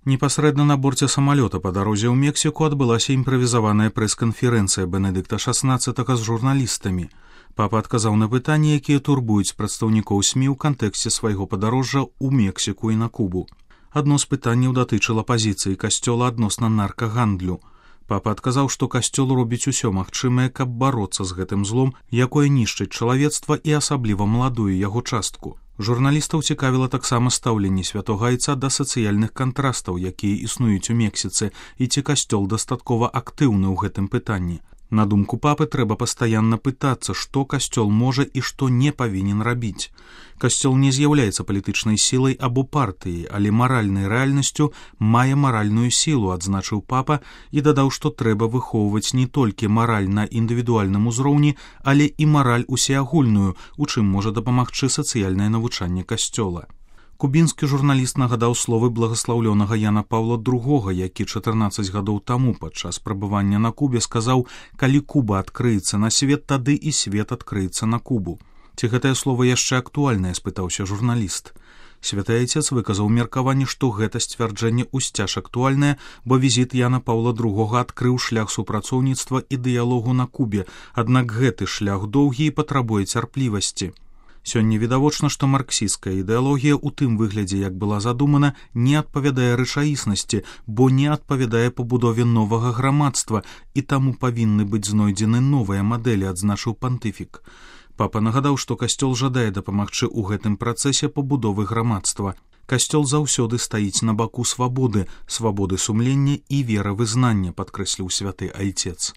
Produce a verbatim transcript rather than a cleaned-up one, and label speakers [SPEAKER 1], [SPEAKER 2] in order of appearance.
[SPEAKER 1] Непасрэдна на борце самалёта па дарозе ў Мексіку адбылася імправізаваная прэс-канферэнцыя Бенедыкта шаснаццатага з журналістамі. Папа адказаў на пытанні, якія турбуюць прадстаўнікоў СМІ ў кантэксце свайго падарожжа ў Мексіку і на Кубу. Адно з пытанняў датычыла пазіцыі касцёла адносна наркагандлю. Папа адказаў, што касцёл робіць усё магчымае, каб бароцца з гэтым злом, якое нішчыць чалавецтва і асабліва маладую яго частку. Журналістаў цікавіла таксама стаўленне святога айца да сацыяльных кантрастаў, якія існуюць у Мексіцы, і ці касцёл дастаткова актыўны ў гэтым пытанні. На думку папы, трэба пастаянна пытацца, што касцёл можа і што не павінен рабіць. Касцёл не з'яўляецца палітычнай сілай або партыяй, але маральнай рэальнасцю мае маральную сілу, адзначыў папа і дадаў, што трэба выхоўваць не толькі мараль на індывідуальным узроўні, але і мараль усеагульную, у чым можа дапамагчы сацыяльнае навучанне касцёла. Кубінскі журналіст нагадаў словы благаслаўлёнага Яна Паўла другога, які чатырнаццаць гадоў таму падчас прабывання на Кубе сказаў: «Калі Куба адкрыецца на свет, тады і свет адкрыецца на Кубу». Ці гэтае слово яшчэ актуальнае, спытаўся журналіст. Святы айцец выказаў меркаванне, што гэта сцвярджэнне ўсцяж актуальнае, бо візіт Яна Паўла другога адкрыў шлях супрацоўніцтва і дыялогу на Кубе, аднак гэты шлях доўгі і патрабуе цярплівасці. Сёння відавочна, што марксісцкая ідэалогія ў тым выглядзе, як была задумана, не адпавядае рэчаіснасці, бо не адпавядае пабудове новага грамадства, і таму павінны быць знойдзены новыя мадэлі, адзначыў пантыфік. Папа нагадаў, што касцёл жадае дапамагчы ў гэтым працэсе пабудовы грамадства. Касцёл заўсёды стаіць на баку свабоды, свабоды сумлення і веравызнання, падкрэсліў святы айцец.